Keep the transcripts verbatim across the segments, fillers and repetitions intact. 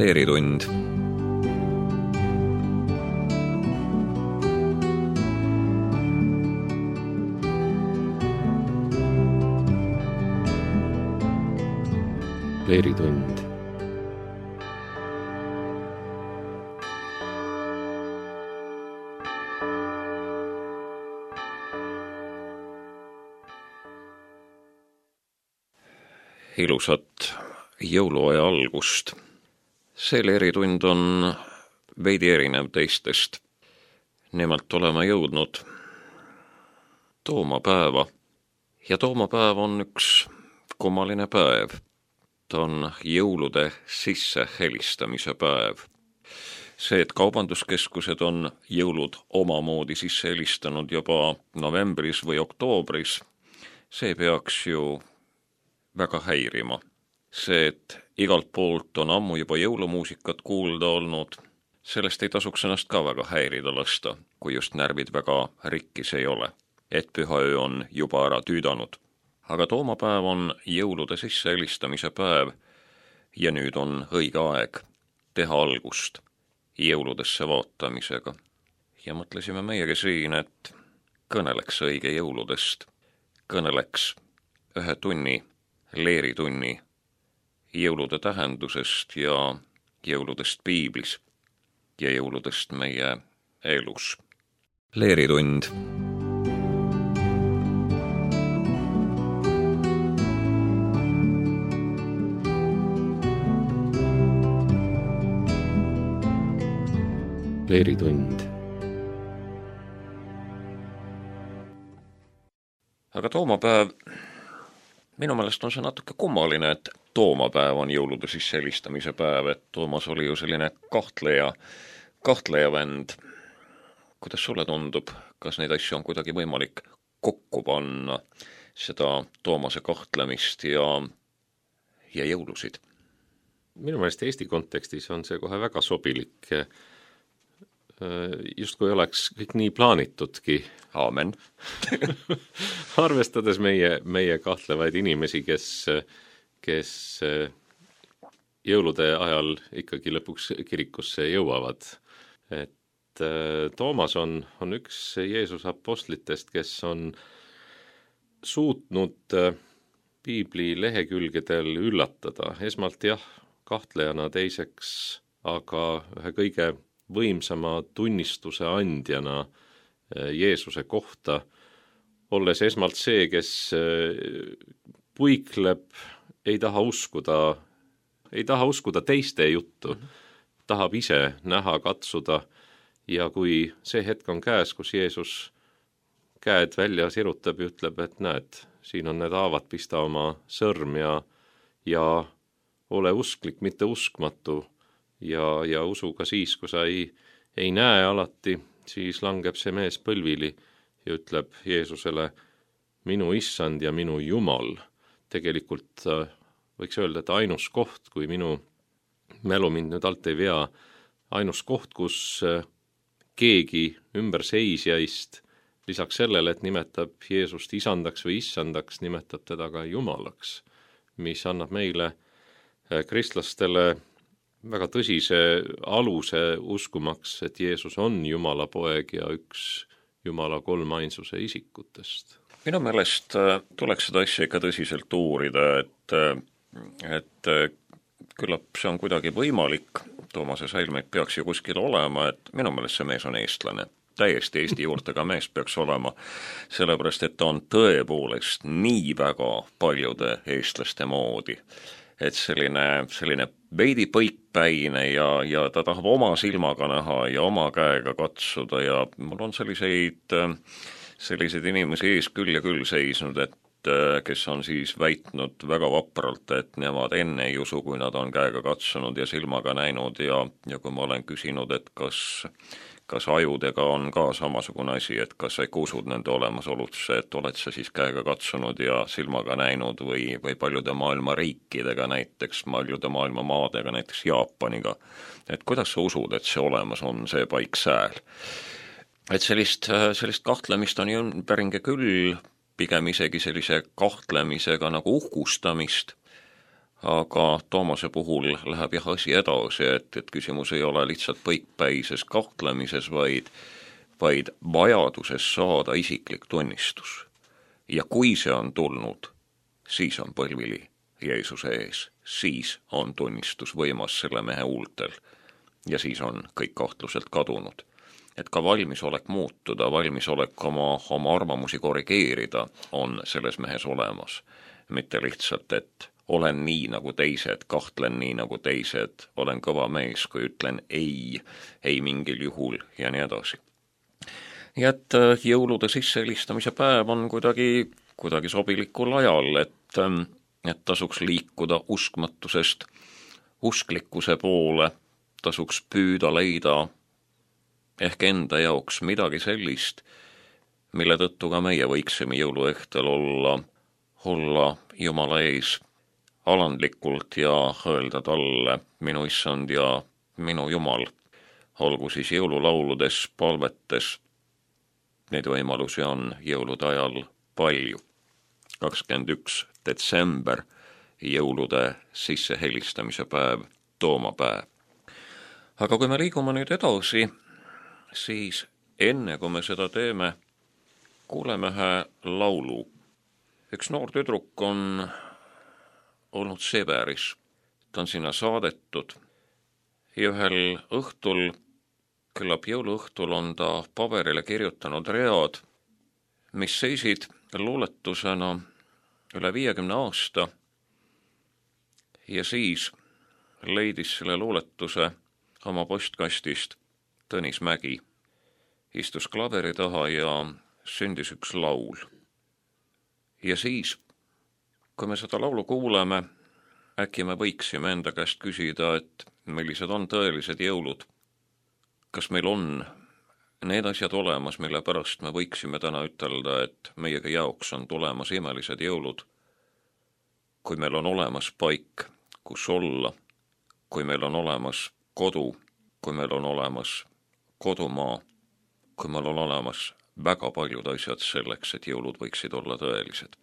Leeritund. Leeritund. Ilusat jõuluaja algust. See leeritund on veidi erinev teistest. Nimelt oleme jõudnud toomapäeva. Ja toomapäev on üks kummaline päev. Ta on jõulude sisse helistamise päev. See, et kaubanduskeskused on jõulud omamoodi sisse helistanud juba novembris või oktoobris, see peaks ju väga häirima. See, et igalt poolt on ammu juba jõulumuusikat kuulda olnud, sellest ei tasuks ennast ka väga häirida lasta, kui just närvid väga rikkis ei ole, et pühaöö on juba ära tüüdanud. Aga toomapäev on jõulude sisse helistamise päev ja nüüd on õige aeg teha algust jõuludesse vaatamisega. Ja mõtlesime meiegi siin, et kõneleks õige jõuludest, kõneleks ühe tunni leeritunni jõulude tähendusest ja jõuludest piiblis ja jõuludest meie elus. Leeritund. Leeritund. Aga toomapäev, minu meelest on see natuke kummaline, et toomapäev on jõulude sisse helistamise päev, et Toomas oli ju selline kahtleja, kahtleja vend. Kuidas sulle tundub, kas neid asju on kuidagi võimalik kokku panna, seda Toomase kahtlemist ja, ja jõulusid? Minu meelest Eesti kontekstis on see kohe väga sobilik. Just kui oleks kõik nii plaanitudki. Aamen. Arvestades meie, meie kahtlevaid inimesi, kes, kes jõulude ajal ikkagi lõpuks kirikusse jõuavad. Et Toomas on, on üks Jeesuse apostlitest, kes on suutnud piibli lehekülgedel üllatada. Esmalt jah, kahtlejana, teiseks aga ühe kõige võimsama tunnistuse andjana Jeesuse kohta, olles esmalt see, kes puikleb, ei taha uskuda, ei taha uskuda teiste juttu, mm-hmm. tahab ise näha, katsuda ja kui see hetk on käes, kus Jeesus käed välja sirutab ja ütleb, et näed, siin on need haavad, pista oma sõrm ja, ja ole usklik, mitte uskmatu. Ja, ja usu ka siis, kui sa ei, ei näe alati, siis langeb see mees põlvili ja ütleb Jeesusele, minu issand ja minu Jumal. Tegelikult võiks öelda, et ainus koht, kui minu mälu mind nüüd alt ei vea, ainus koht, kus keegi ümber seisjaist, lisaks sellele, et nimetab Jeesust isandaks või issandaks, nimetab teda ka Jumalaks, mis annab meile kristlastele väga tõsise aluse uskumaks, et Jeesus on Jumala poeg ja üks Jumala kolmainsuse isikutest. Minu meelest tuleks seda asja ikka tõsiselt uurida, et, et küllap see on kuidagi võimalik. Toomase säilmeid peaks ju kuskil olema, et minu meelest see mees on eestlane. Täiesti Eesti juurtega mees peaks olema, sellepärast et ta on tõepoolest nii väga paljude eestlaste moodi. Et selline, selline veidi põikpäine ja, ja ta tahab oma silmaga näha ja oma käega katsuda ja mul on selliseid, selliseid inimesi ees küll ja küll seisnud, et kes on siis väitnud väga vapralt, et nemad enne ei usu, kui nad on käega katsunud ja silmaga näinud ja, ja kui ma olen küsinud, et kas kas ajudega on ka samasugune asi, et kas sa ikka usud nende olemasolusse, et oled sa siis käega katsunud ja silmaga näinud või, või paljude maailma riikidega, näiteks paljude maailma maadega, näiteks Jaapaniga. Et kuidas sa usud, et see olemas on, see paik sääl? Et sellist, sellist kahtlemist on ju päringe küll, pigem isegi sellise kahtlemisega nagu uhkustamist, aga Toomase puhul läheb jah asi edasi, et, et küsimus ei ole lihtsalt põikpäises kahtlemises, vaid, vaid vajaduses saada isiklik tunnistus. Ja kui see on tulnud, siis on põlvili Jeesuse ees, siis on tunnistus võimas selle mehe huultel ja siis on kõik kahtluselt kadunud. Et ka valmisolek muutuda, valmisolek oma, oma arvamusi korrigeerida on selles mehes olemas. Mitte lihtsalt, et olen nii nagu teised, kahtlen nii nagu teised, olen kõva mees, kui ütlen ei, ei mingil juhul ja nii edasi. Ja et jõulude sissehelistamise päev on kuidagi, kuidagi sobilikul ajal, et, et tasuks liikuda uskmatusest usklikkuse poole, tasuks püüda leida ehk enda jaoks midagi sellist, mille tõttu ka meie võiksime jõuluõhtul olla, olla Jumala ees alandlikult ja öelda talle, minu issand ja minu Jumal, olgu siis jõululauludes, palvetes, neid võimalusi on jõulude ajal palju. kakskümmend üks detsember, jõulude sissehelistamise päev, toomapäev. Aga kui me liigume nüüd edasi, siis enne kui me seda teeme, kuuleme ühe laulu. Üks noor tüdruk on olnud Siberis, ta on sinna saadetud ja ühel õhtul, küllap jõuluõhtul on ta paberile kirjutanud read, mis seisid luuletusena üle viiekümne aasta ja siis leidis selle luuletuse oma postkastist Tõnis Mägi, istus klaveri taha ja sündis üks laul. Ja siis, kui me seda laulu kuuleme, äkki me võiksime enda käest küsida, et millised on tõelised jõulud. Kas meil on need asjad olemas, mille pärast me võiksime täna ütelda, et meiega jaoks on tulemas imelised jõulud, kui meil on olemas paik, kus olla, kui meil on olemas kodu, kui meil on olemas kodumaa, kui meil on olemas väga paljud asjad selleks, et jõulud võiksid olla tõelised.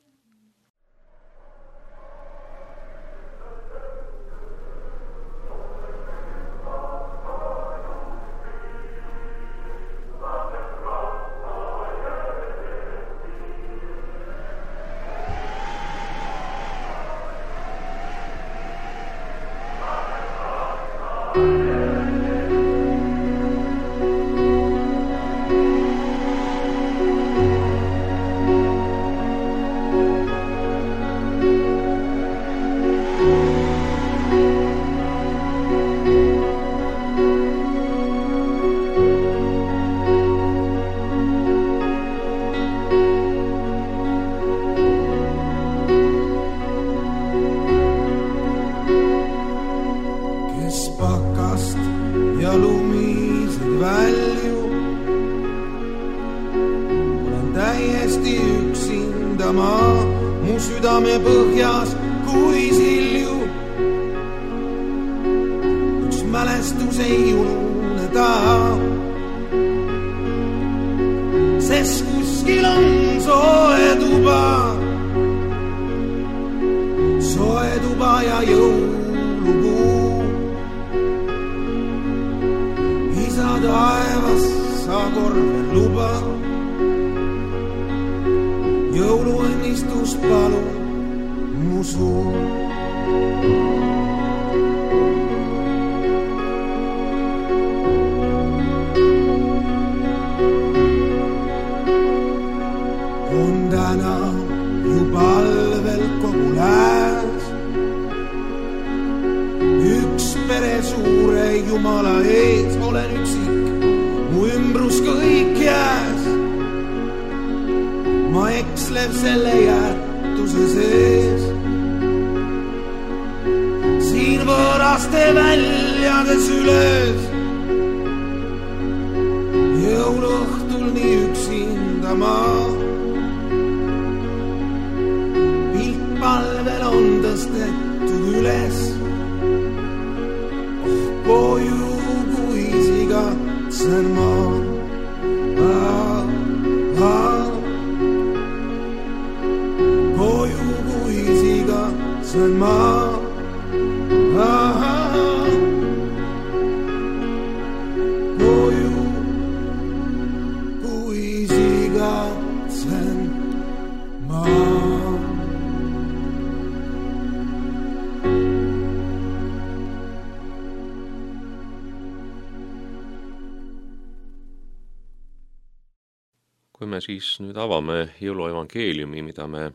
kui me siis nüüd avame jõuluevangeeliumi, mida me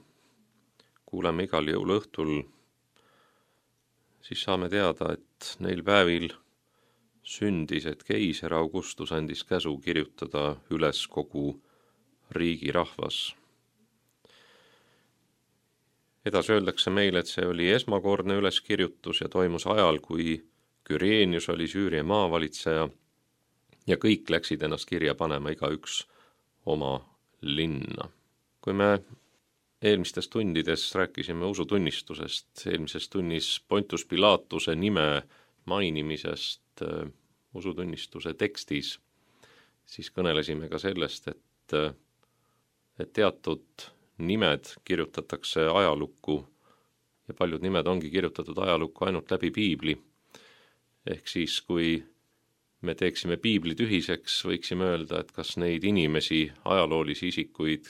kuuleme igal jõuluõhtul, siis saame teada, et neil päevil sündis, et keiser Augustus andis käsu kirjutada üles kogu riigi rahvas. Edasi öeldakse meile, et see oli esmakordne üleskirjutus ja toimus ajal, kui Küreenius oli Süüria maavalitseja ja kõik läksid ennast kirja panema, igaüks oma linna. Kui me eelmistes tundides rääkisime usutunnistusest, eelmises tunnis Pontus Pilatuse nime mainimisest äh, usutunnistuse tekstis, siis kõnelesime ka sellest, et, et teatud nimed kirjutatakse ajalukku ja paljud nimed ongi kirjutatud ajalukku ainult läbi piibli. Ehk siis, kui me teeksime piibli tühiseks, võiksime öelda, et kas neid inimesi, ajaloolisi isikuid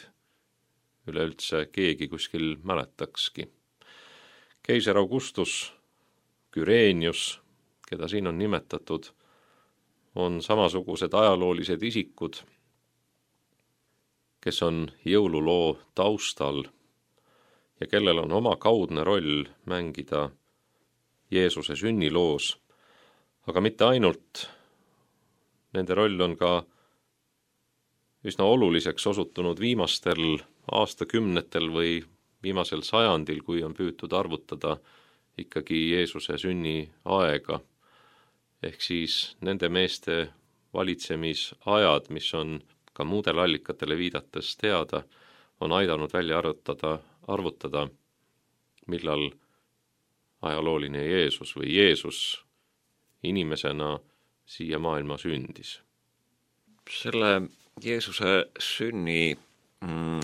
üleüldse keegi kuskil mäletakski. Keiser Augustus, Küreenius, keda siin on nimetatud, on samasugused ajaloolised isikud, kes on jõululoo taustal ja kellel on oma kaudne roll mängida Jeesuse sünniloos, aga mitte ainult. Nende roll on ka üsna oluliseks osutunud viimastel aastakümnetel või viimasel sajandil, kui on püütud arvutada ikkagi Jeesuse sünni aega. Ehk siis nende meeste valitsemisajad, mis on ka muudele allikatele viidates teada, on aidanud välja arvutada, arvutada, millal ajalooline Jeesus või Jeesus inimesena siia maailma sündis. Selle Jeesuse sünni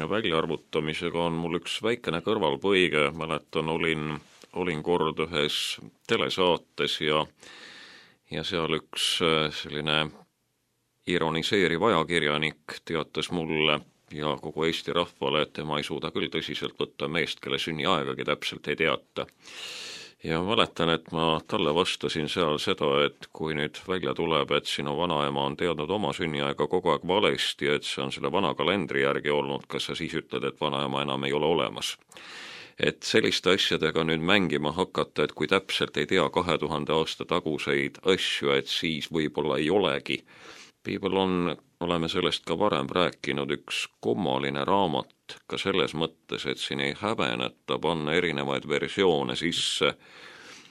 väljaarvutamisega on mul üks väikene kõrvalpõige. Mäletan, olin, olin kord ühes telesaates ja, ja seal üks selline ironiseeriv ajakirjanik teatas mulle ja kogu Eesti rahvale, et tema ei suuda küll tõsiselt võtta meest, kelle sünniaegagi täpselt ei teata. Ja mäletan, et ma talle vastasin seal seda, et kui nüüd välja tuleb, et sinu vanaema on teadnud oma sünniaega kogu aeg valesti, et see on selle vana kalendri järgi olnud, kas sa siis ütled, et vanaema enam ei ole olemas? Et selliste asjadega nüüd mängima hakata, et kui täpselt ei tea kahe tuhande aasta taguseid asju, et siis võib-olla ei olegi. Piibel on, oleme sellest ka varem rääkinud, üks kummaline raamat ka selles mõttes, et siin ei häbeneta panna erinevaid versioone sisse,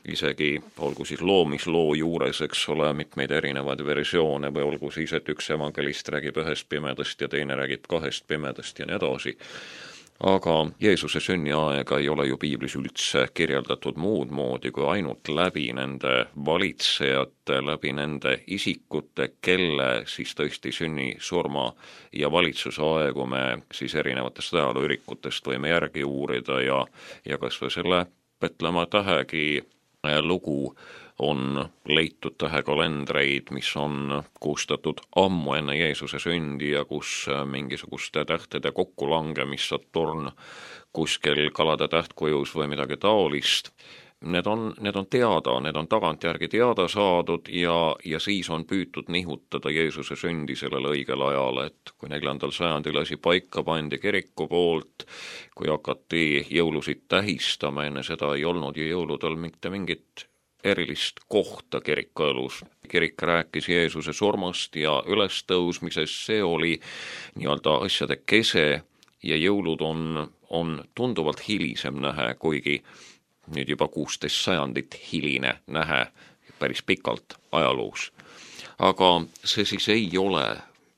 isegi olgu siis loomisloo juures, eks ole, mitmeid erinevaid versioone või olgu siis, et üks evangelist räägib ühest pimedast ja teine räägib kahest pimedast ja nii edasi. Aga Jeesuse sünniaega ei ole ju piiblis üldse kirjeldatud muud moodi kui ainult läbi nende valitsejate, läbi nende isikute, kelle siis tõesti sünni, surma ja valitsuse aegu me siis erinevatest ajalooürikutest võime järgi uurida ja, ja kas või selle Petlemma tähegi lugu on leitud tähekalendreid, mis on koostatud ammu enne Jeesuse sündi ja kus mingisuguste tähtede kokkulangemist Saturn kuskil kalade tähtkujus või midagi taolist. Need on, need on teada, need on tagantjärgi teada saadud ja, ja siis on püütud nihutada Jeesuse sündi sellel õigel ajal, et kui neljandal sajandil asi paika pandi kiriku poolt, kui hakati jõulusid tähistama, enne seda ei olnud ju jõuludel mitte mingit erilist kohta kirikuelus. Kirik rääkis Jeesuse surmast ja ülestõusmisest, see oli nii-öelda asjade kese ja jõulud on, on tunduvalt hilisem nähe, kuigi nüüd juba kuusteist sajandit hiline nähe päris pikalt ajaloos. Aga see siis ei ole,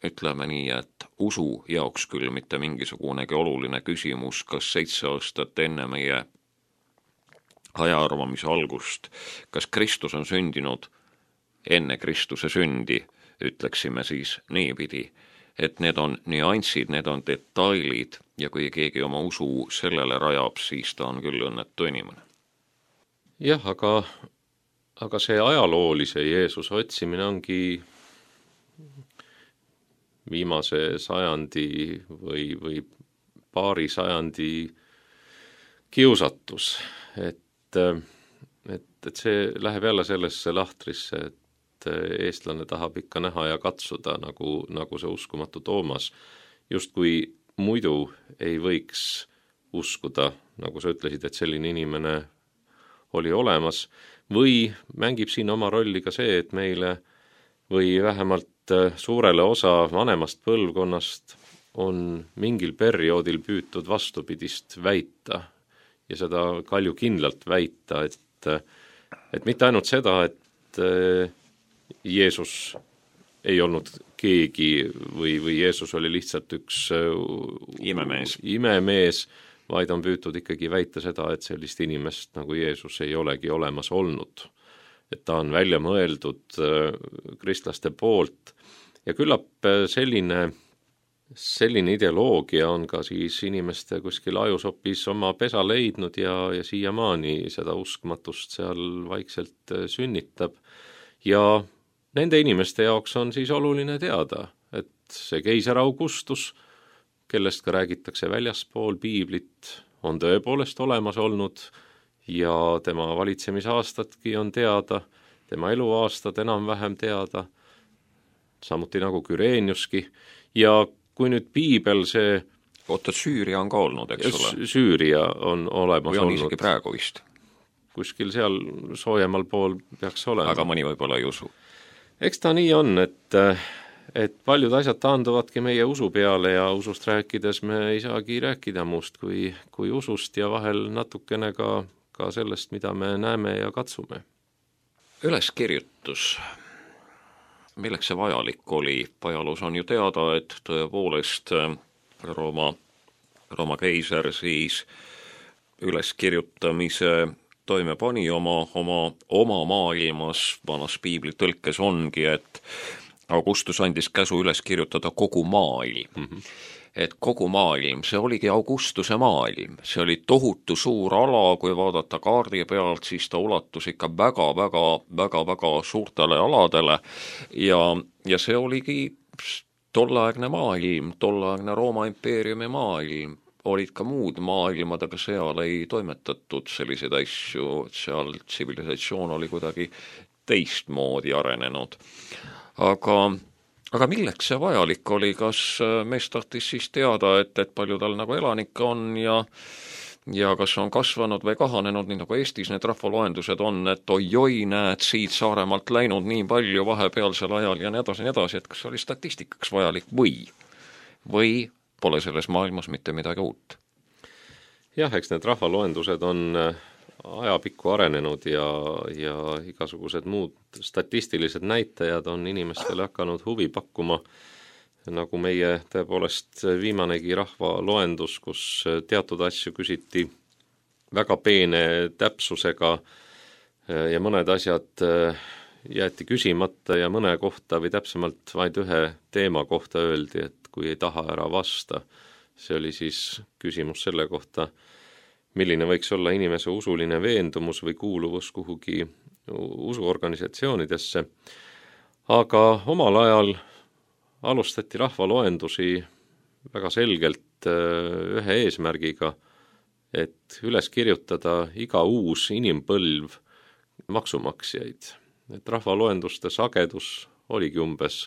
ütleme nii, et usu jaoks küll mitte mingisugunegi oluline küsimus, kas seitse aastat enne meie ajaarvamise algust, kas Kristus on sündinud enne Kristuse sündi, ütleksime siis niipidi, et need on nüansid, need on detailid ja kui keegi oma usu sellele rajab, siis ta on küll õnnetu inimene. Jah, aga, aga see ajaloolise Jeesuse otsimine ongi viimase sajandi või, või paari sajandi kiusatus, et Et, et see läheb jälle sellesse lahtrisse, et eestlane tahab ikka näha ja katsuda, nagu, nagu see uskumatu Toomas justkui muidu ei võiks uskuda, nagu sa ütlesid, et selline inimene oli olemas, või mängib siin oma rolli ka see, et meile või vähemalt suurele osa vanemast põlvkonnast on mingil perioodil püütud vastupidist väita ja seda kaljukindlalt väita, et, et mitte ainult seda, et Jeesus ei olnud keegi või, või Jeesus oli lihtsalt üks imemees. imemees, vaid on püütud ikkagi väita seda, et sellist inimest nagu Jeesus ei olegi olemas olnud. Et ta on välja mõeldud kristlaste poolt ja küllap selline, selline ideoloogia on ka siis inimeste kuskil ajusopis oma pesa leidnud ja, ja siiamaani seda uskmatust seal vaikselt sünnitab. Ja nende inimeste jaoks on siis oluline teada, et see keiser Augustus, kellest ka räägitakse väljaspool piiblit, on tõepoolest olemas olnud ja tema valitsemisaastatki on teada, tema eluaastad enam-vähem teada, samuti nagu Küreeniuski. Ja kui nüüd piibel see... Oota, Süüria on ka olnud, eks ole? Süüria on olemas või on olnud. Isegi praegu vist? Kuskil seal soojemal pool peaks olema. Aga mõni võib-olla ei usu. Eks ta nii on, et, et paljud asjad taanduvadki meie usu peale ja usust rääkides me ei saagi rääkida muust kui, kui usust ja vahel natukene ka, ka sellest, mida me näeme ja katsume. Üleskirjutus, milleks see vajalik oli? Ajaloos on ju teada, et tõepoolest Rooma, Rooma keiser siis üleskirjutamise toime pani oma, oma, oma maailmas, vanas piibli tõlkes ongi, et Augustus andis käsu üles kirjutada kogu maailm. Mm-hmm. Et kogu maailm, see oligi Augustuse maailm, see oli tohutu suur ala, kui vaadata kaardi pealt, siis ta ulatus ikka väga, väga, väga, väga suurtele aladele ja, ja see oligi tolleaegne maailm, tolleaegne Rooma impeeriumi maailm, olid ka muud maailmad, aga seal ei toimetatud selliseid asju, seal tsivilisatsioon oli kuidagi teistmoodi arenenud. Aga Aga milleks see vajalik oli, kas mees tahtis siis teada, et, et palju tal nagu elanikke on ja, ja kas on kasvanud või kahanenud, nii nagu Eestis need rahvaloendused on, et oi-oi, näed siit Saaremaalt läinud nii palju vahepealsel ajal ja nii edasi, nii edasi, et kas oli statistikaks vajalik või, või pole selles maailmas mitte midagi uut? Jah, eks need rahvaloendused on ajapikku arenenud ja, ja igasugused muud statistilised näitajad on inimestele hakanud huvi pakkuma, nagu meie tõepoolest viimanegi rahvaloendus, kus teatud asju küsiti väga peene täpsusega ja mõned asjad jäeti küsimata ja mõne kohta või täpsemalt vaid ühe teema kohta öeldi, et kui ei taha ära vasta. See oli siis küsimus selle kohta, milline võiks olla inimese usuline veendumus või kuuluvus kuhugi usuorganisatsioonidesse. Aga omal ajal alustati rahvaloendusi väga selgelt ühe eesmärgiga, et üles kirjutada iga uus inimpõlv maksumaksjaid. Et rahvaloenduste sagedus oligi umbes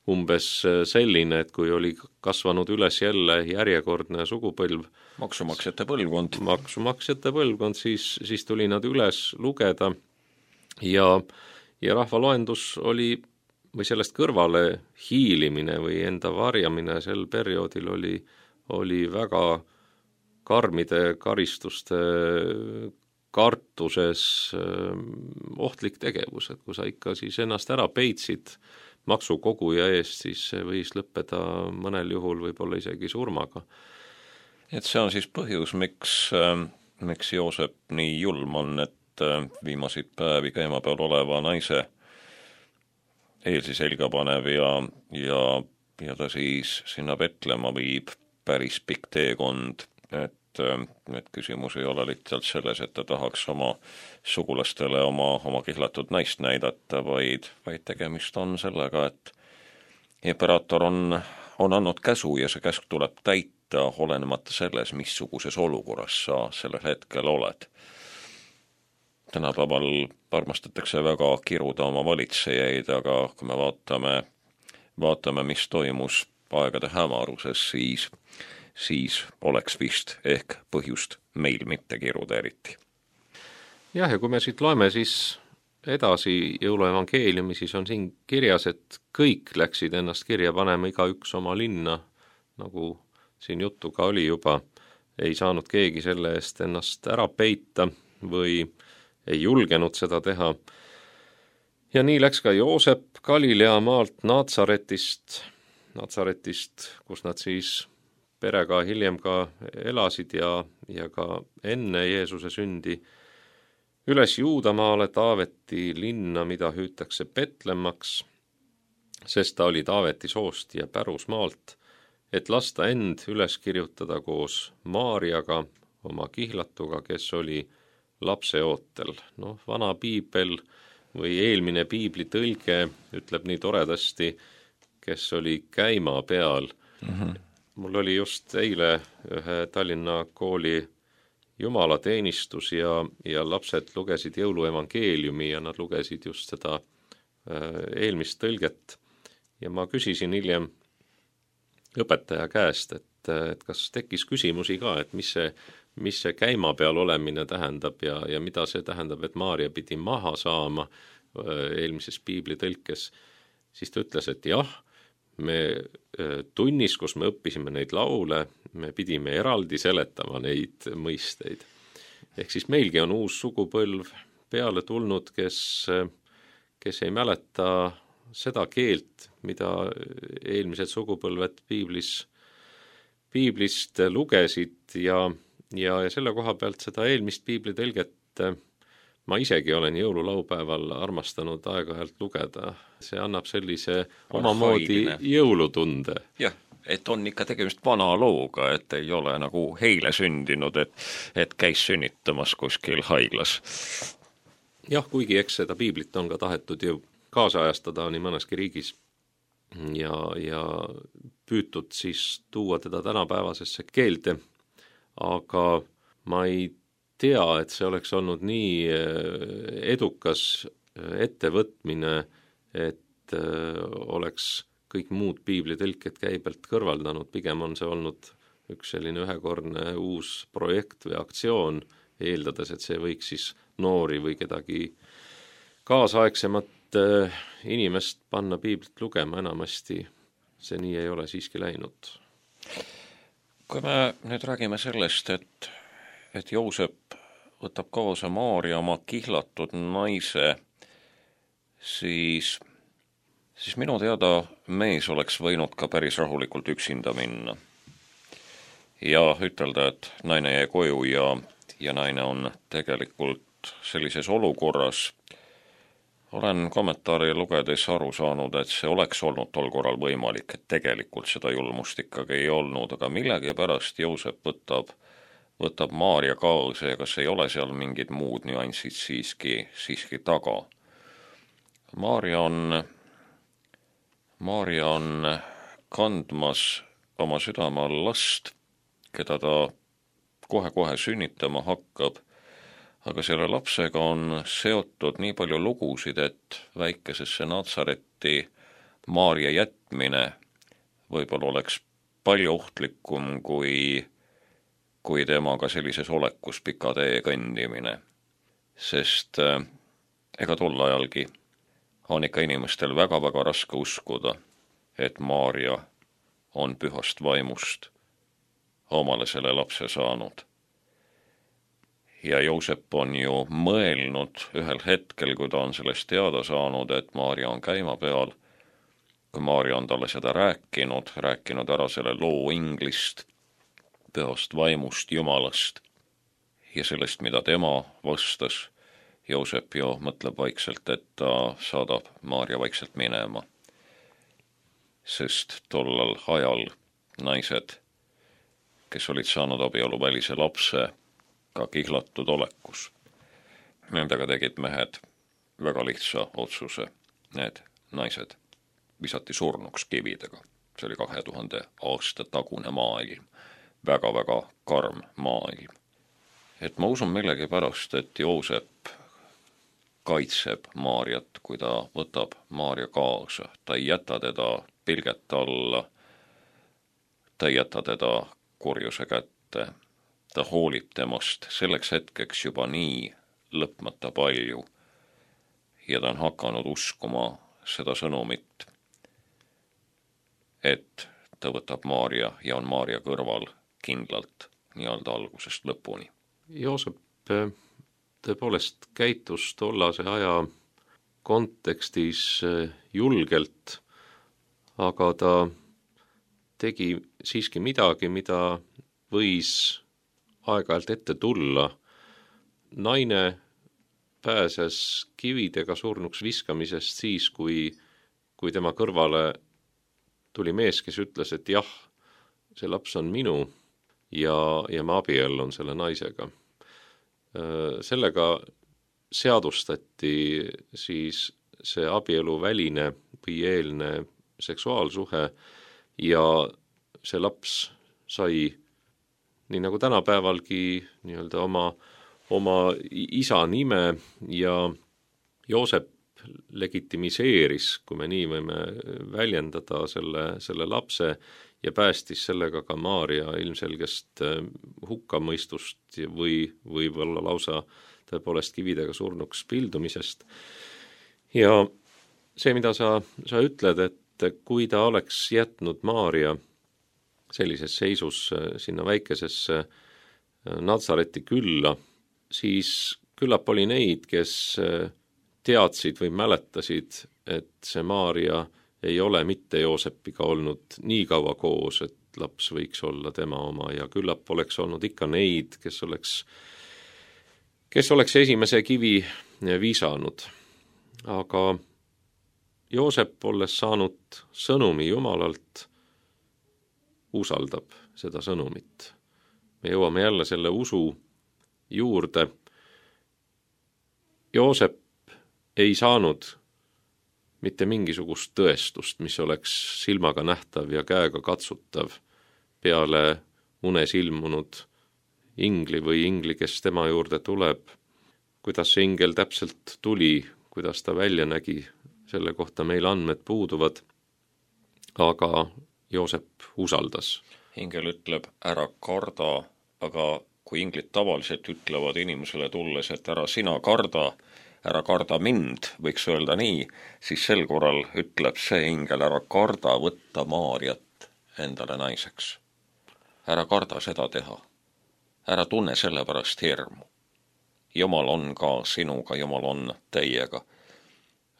umbes selline, et kui oli kasvanud üles jälle järjekordne sugupõlv, maksumaksjate põlvkond, maksumaksjate põlvkond, siis, siis tuli nad üles lugeda ja, ja rahvaloendus oli, või sellest kõrvale hiilimine või enda varjamine sel perioodil oli, oli väga karmide karistuste kartuses ohtlik tegevus, et kui sa ikka siis ennast ära peitsid maksukoguja eest, siis see võis lõppeda mõnel juhul võib-olla isegi surmaga. Et see on siis põhjus, miks, miks Joosep nii julm on, et viimaseid päevi käima peal oleva naise eelsi selga panev ja, ja, ja ta siis sinna Betlema viib päris pikk teekond, et et küsimus ei ole lihtsalt selles, et ta tahaks oma sugulastele oma, oma kihlatud naist näidata, vaid, vaid tegemist on sellega, et imperaator on, on andnud käsu ja see käsk tuleb täita, olenemata selles, missuguses olukorras sa sellel hetkel oled. Tänapäeval armastatakse väga kiruda oma valitsejaid, aga kui me vaatame, vaatame, mis toimus aegade hämaruses, siis, siis oleks vist ehk põhjust meil mitte kiruda eriti. Jah, ja kui me siit loeme siis edasi jõuluevangeeliumi, siis on siin kirjas, et kõik läksid ennast kirja panema, igaüks oma linna, nagu siin juttu ka oli juba, ei saanud keegi selle eest ennast ära peita või ei julgenud seda teha. Ja nii läks ka Joosep Galilea maalt Natsaretist, Natsaretist, kus nad siis perega hiljem ka elasid ja, ja ka enne Jeesuse sündi, üles Juudamaale Taaveti linna, mida hüütakse Betlemmaks, sest ta oli Taaveti soost ja pärusmaalt, et lasta end üles kirjutada koos Maarjaga, oma kihlatuga, kes oli lapseootel. Noh, vana piibel või eelmine piibli tõlge ütleb nii toredasti, kes oli käima peal. Mm-hmm. Mul oli just eile ühe Tallinna kooli jumalateenistus ja, ja lapsed lugesid jõuluevangeeliumi ja nad lugesid just seda äh, eelmist tõlget. Ja ma küsisin hiljem õpetaja käest, et, et kas tekkis küsimusi ka, et mis see, mis see käima peal olemine tähendab ja, ja mida see tähendab, et Maarja pidi maha saama äh, eelmises piibli tõlkes. Siis ta ütles, et jah, me tunnis, kus me õppisime neid laule, me pidime eraldi seletama neid mõisteid. Ehk siis meilgi on uus sugupõlv peale tulnud, kes, kes ei mäleta seda keelt, mida eelmised sugupõlved piiblis, piiblist lugesid ja, ja, ja selle koha pealt seda eelmist piibli tõlget ma isegi olen jõululaupäeval armastanud aeg-ajalt lugeda. See annab sellise omamoodi jõulutunde. Jah, et on ikka tegemist vana looga, et ei ole nagu heile sündinud, et, et käis sünnitamas kuskil haiglas. Jah, kuigi eks seda piiblit on ka tahetud ju kaasajastada nii mõneski riigis ja, ja püütud siis tuua teda tänapäevasesse keelde, aga ma ei tea, et see oleks olnud nii edukas ettevõtmine, et oleks kõik muud piiblitõlked käibelt kõrvaldanud. Pigem on see olnud üks selline ühekordne uus projekt või aktsioon, eeldades, et see võiks siis noori või kedagi kaasaegsemat inimest panna piiblit lugema. Enamasti see nii ei ole siiski läinud. Kui me nüüd räägime sellest, et et Joosep võtab kaasa Maarja oma kihlatud naise, siis, siis minu teada mees oleks võinud ka päris rahulikult üksinda minna. Ja ütelda, et naine jäi koju ja, ja naine on tegelikult sellises olukorras. Olen kommentaari lugedes aru saanud, et see oleks olnud tol korral võimalik, et tegelikult seda julmust ikkagi ei olnud, aga millegi pärast Joosep võtab võtab Maarja kaasa ja kas ei ole seal mingid muud nüansid siiski, siiski taga. Maarja on, Maarja on kandmas oma südame all last, keda ta kohe-kohe sünnitama hakkab, aga selle lapsega on seotud nii palju lugusid, et väikesesse Natsaretti Maarja jätmine võib-olla oleks palju ohtlikum kui kui temaga sellises olekus pika tee kõndimine. Sest äh, ega tol ajalgi on ikka inimestel väga-väga raske uskuda, et Maarja on pühast vaimust omale selle lapse saanud. Ja Joosep on ju mõelnud ühel hetkel, kui ta on sellest teada saanud, et Maarja on käima peal, kui Maarja on talle seda rääkinud, rääkinud ära selle loo inglist, pühast vaimust, Jumalast ja sellest, mida tema vastas. Joosep ju mõtleb vaikselt, et ta saadab Maarja vaikselt minema. Sest tollal ajal naised, kes olid saanud abieluvälise lapse, ka kihlatud olekus, nendega tegid mehed väga lihtsa otsuse. Need naised visati surnuks kividega. See oli kahe tuhande aasta tagune maailm. Väga-väga karm maailm. Et ma usun millegi pärast, et Joosep kaitseb Maarjat, kui ta võtab Maarja kaasa. Ta ei jäta teda pilget alla, ta ei jäta teda kurjuse kätte. Ta hoolib temast selleks hetkeks juba nii lõpmata palju ja ta on hakanud uskuma seda sõnumit, et ta võtab Maarja ja on Maarja kõrval kindlalt nii-öelda algusest lõpuni. Joosep tõepoolest käitus tollase aja kontekstis julgelt, aga ta tegi siiski midagi, mida võis aeg-ajalt ette tulla. Naine pääses kividega surnuks viskamisest siis, kui, kui tema kõrvale tuli mees, kes ütles, et jah, see laps on minu ja, ja ma abiellun selle naisega. Sellega seadustati siis see abielu väline või eelne seksuaalsuhe ja see laps sai nii nagu tänapäevalgi nii-öelda oma, oma isa nime ja Joosep legitimiseeris, kui me nii võime väljendada selle, selle lapse ja päästis sellega ka Maarja ilmselgest hukkamõistust või, või olla lausa tõepoolest kividega surnuks pildumisest. Ja see, mida sa, sa ütled, et kui ta oleks jätnud Maarja sellises seisus sinna väikesesse Natsareti külla, siis küllap oli neid, kes teadsid või mäletasid, et see Maarja ei ole mitte Joosepiga olnud nii kaua koos, et laps võiks olla tema oma ja küllap oleks olnud ikka neid, kes oleks, kes oleks esimese kivi visanud. Aga Joosep, olles saanud sõnumi Jumalalt, usaldab seda sõnumit. Me jõuame jälle selle usu juurde. Joosep ei saanud mitte mingisugust tõestust, mis oleks silmaga nähtav ja käega katsutav peale unes ilmunud ingli või ingli, kes tema juurde tuleb. Kuidas see ingel täpselt tuli, kuidas ta välja nägi, selle kohta meil andmed puuduvad, aga Joosep usaldas. Ingel ütleb, ära karda, aga kui inglid tavaliselt ütlevad inimesele tulles, et ära sina karda, ära karda mind, võiks öelda nii, siis sel korral ütleb see ingel, ära karda võtta Maarjat endale naiseks. Ära karda seda teha. Ära tunne selle pärast hirmu. Jumal on ka sinuga, Jumal on teiega.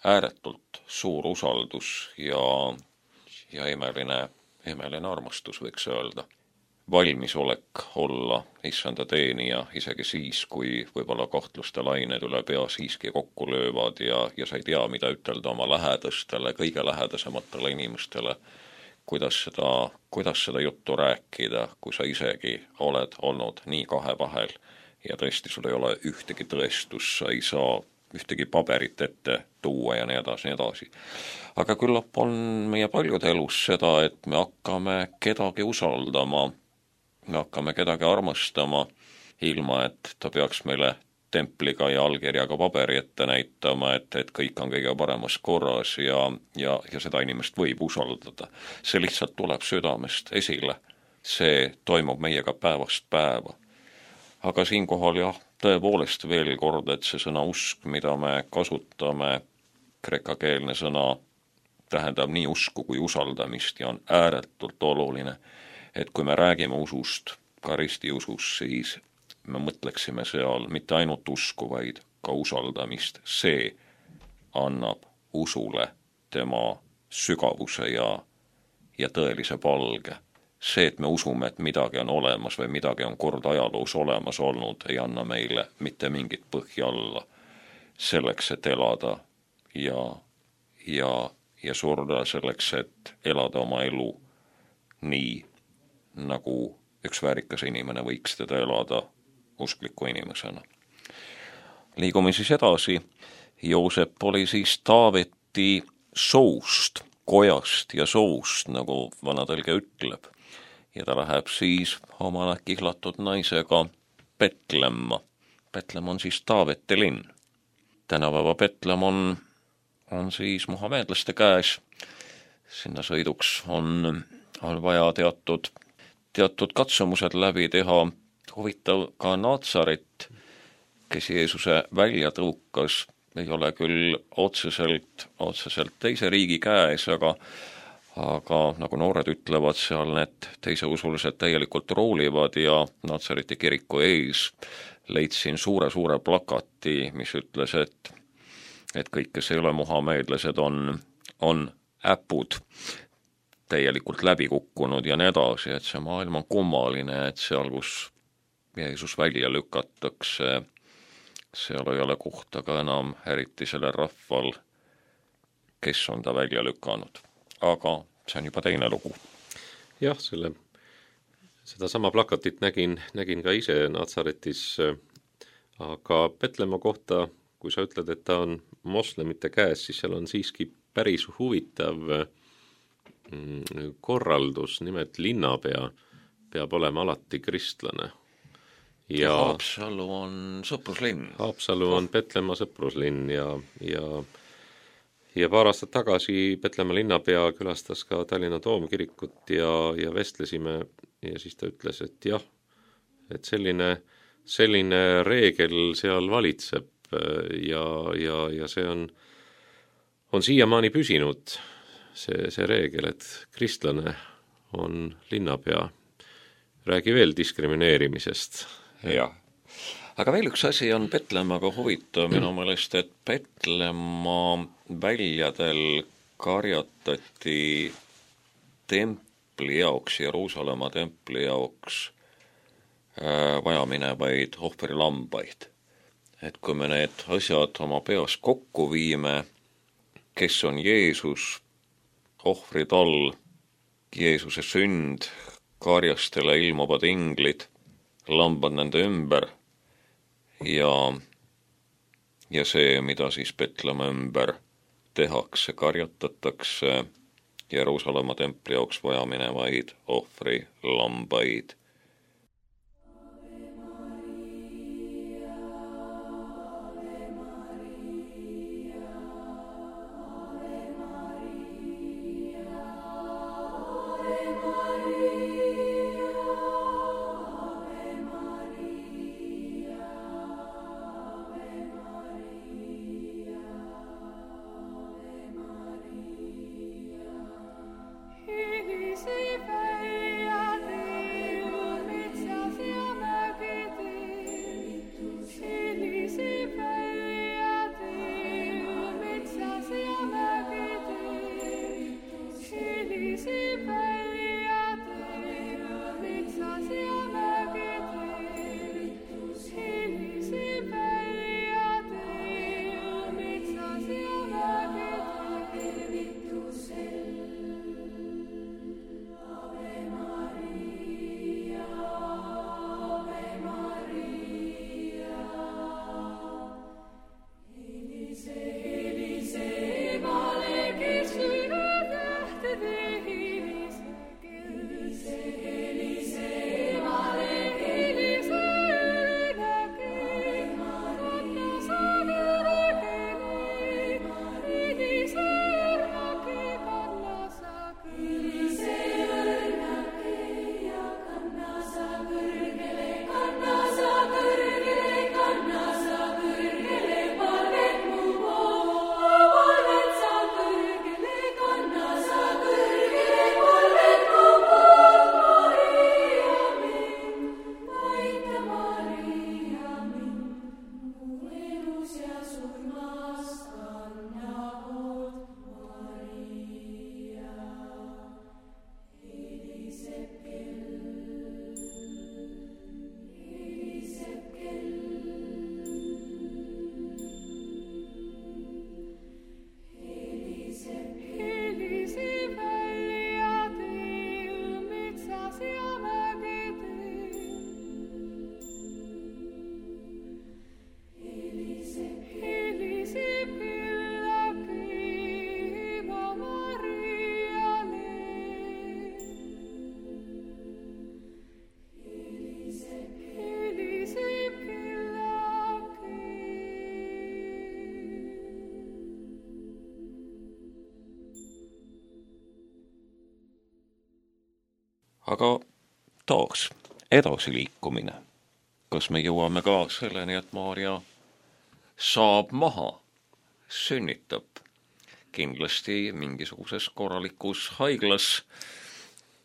Ääretult suur usaldus ja, ja imeline, imeline armastus, võiks öelda. Valmisolek olla issanda teenija isegi siis, kui võib-olla kahtluste lained üle pea siiski kokku löövad ja, ja sa ei tea, mida ütelda oma lähedastele, kõige lähedasematele inimestele, kuidas seda, kuidas seda juttu rääkida, kui sa isegi oled olnud nii kahe vahel ja tõesti sul ei ole ühtegi tõestus, sa ei saa ühtegi paberit ette tuua ja nii edasi, nii edasi. Aga küllap on meie paljude elus seda, et me hakkame kedagi usaldama, me hakkame kedagi armastama, ilma et ta peaks meile templiga ja allkirjaga paberi ette näitama, et, et kõik on kõige paremas korras ja, ja, ja seda inimest võib usaldada. See lihtsalt tuleb südamest esile. See toimub meiega päevast päeva. Aga siinkohal jah, tõepoolest veel kord, et see sõna usk, mida me kasutame, kreekakeelne sõna, tähendab nii usku kui usaldamist ja on ääretult oluline, et kui me räägime usust, ka ristiusus, siis me mõtleksime seal mitte ainult usku, vaid ka usaldamist. See annab usule tema sügavuse ja, ja tõelise palge. See, et me usume, et midagi on olemas või midagi on kord ajaloos olemas olnud, ei anna meile mitte mingit põhja alla selleks, et elada ja, ja, ja surda selleks, et elada oma elu nii, nagu üks väärikas inimene võiks teda elada uskliku inimesena. Liigume siis edasi. Joosep oli siis Taaveti soust, kojast ja soust, nagu vana tõlge ütleb. Ja ta läheb siis oma kihlatud naisega Petlemma. Petlem on siis Taaveti linn. Tänapäeva Petlem on, on siis muhameedlaste käes. Sinna sõiduks on, on vaja teatud teatud katsumused läbi teha. Huvitav ka Natsaret, kes Jeesuse välja tõukas, ei ole küll otseselt, otseselt teise riigi käes, aga aga nagu noored ütlevad, seal need teiseusulised täielikult roolivad ja Natsareti kiriku ees leidsin suure-suure plakati, mis ütles, et et kõik, kes ei ole muhameedlased, on, on äpud täielikult läbi kukkunud ja nii edasi, et see maailm on kummaline, et seal, kus Jeesus välja lükatakse, seal ei ole kohta ka enam eriti sellel rahval, kes on ta välja lükanud. Aga see on juba teine lugu. Jah, selle, seda sama plakatit nägin, nägin ka ise Natsaretis, aga Petlemma kohta, kui sa ütled, et ta on moslemite käes, siis seal on siiski päris huvitav korraldus, nimelt linnapea peab olema alati kristlane. Ja Haapsalu on sõpruslinn. Haapsalu on Petlemma sõpruslinn ja, ja, ja paar aastat tagasi Petlemma linnapea külastas ka Tallinna Toomkirikut ja, ja vestlesime ja siis ta ütles, et jah, et selline, selline reegel seal valitseb ja, ja, ja see on, on siiamaani püsinud, see, see reegel, et kristlane on linnapea. Räägi veel diskrimineerimisest. Jah, aga veel üks asi on Petlemmaga huvitav minu meelest, et Petlemma väljadel karjatati templi jaoks, Jeruusalemma templi jaoks äh, vajaminevaid ohvrilambaid. Et kui me need asjad oma peas kokku viime, kes on Jeesus, ohvrid all, Jeesuse sünd, karjastele ilmuvad inglid, lambad nende ümber ja, ja see, mida siis Petlemma ümber tehakse, karjatatakse Jeruusalemma templi jaoks vajaminevaid ohvri lambaid. Aga taas edasiliikumine. Kas me jõuame ka selleni, et Maarja saab maha, sünnitab kindlasti mingisuguses korralikus haiglas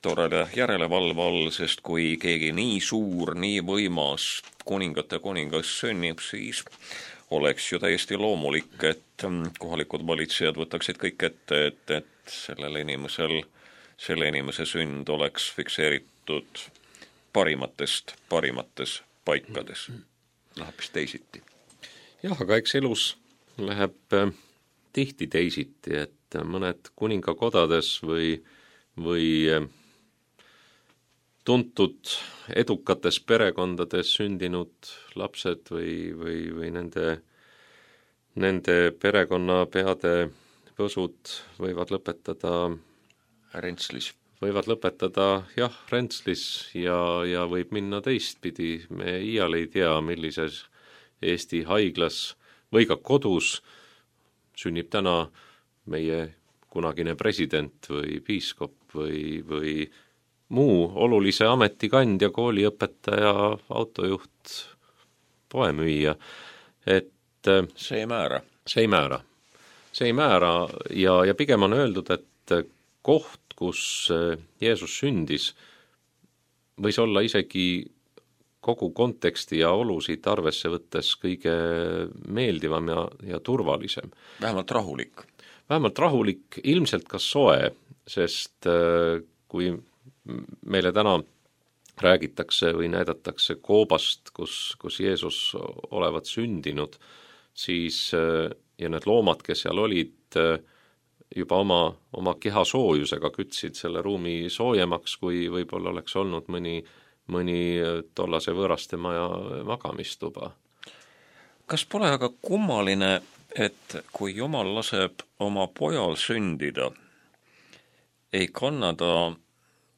toreda järelevalve all, sest kui keegi nii suur, nii võimas kuningate kuningas sünnib, siis oleks ju täiesti loomulik, et kohalikud valitsejad võtaksid kõik ette, et, et sellel inimesel, selle inimese sünd oleks fikseeritud parimatest, parimates paikades. Läheb vist teisiti. Jah, aga eks elus läheb tihti teisiti, et mõned kuningakodades või, või tuntud edukates perekondades sündinud lapsed või, või, või nende, nende perekonnapeade võsud võivad lõpetada Rentslis. Võivad lõpetada, jah, Rentslis ja, ja võib minna teistpidi. Me iial ei tea, millises Eesti haiglas või ka kodus sünnib täna meie kunagine president või piiskop või, või muu olulise ametikandja, kooliõpetaja, autojuht, poemüüja, et see ei määra. See ei määra. See ei määra ja, ja pigem on öeldud, et koht, kus Jeesus sündis, võis olla isegi kogu konteksti ja olusid arvesse võttes kõige meeldivam ja, ja turvalisem. Vähemalt rahulik. Vähemalt rahulik, ilmselt ka soe, sest kui meile täna räägitakse või näidatakse koobast, kus, kus Jeesus olevat sündinud, siis ja need loomad, kes seal olid, juba oma, oma keha soojusega kütsid selle ruumi soojemaks, kui võib-olla oleks olnud mõni, mõni tollase võõraste maja magamistuba. Kas pole aga kummaline, et kui Jumal laseb oma pojal sündida, ei kanna ta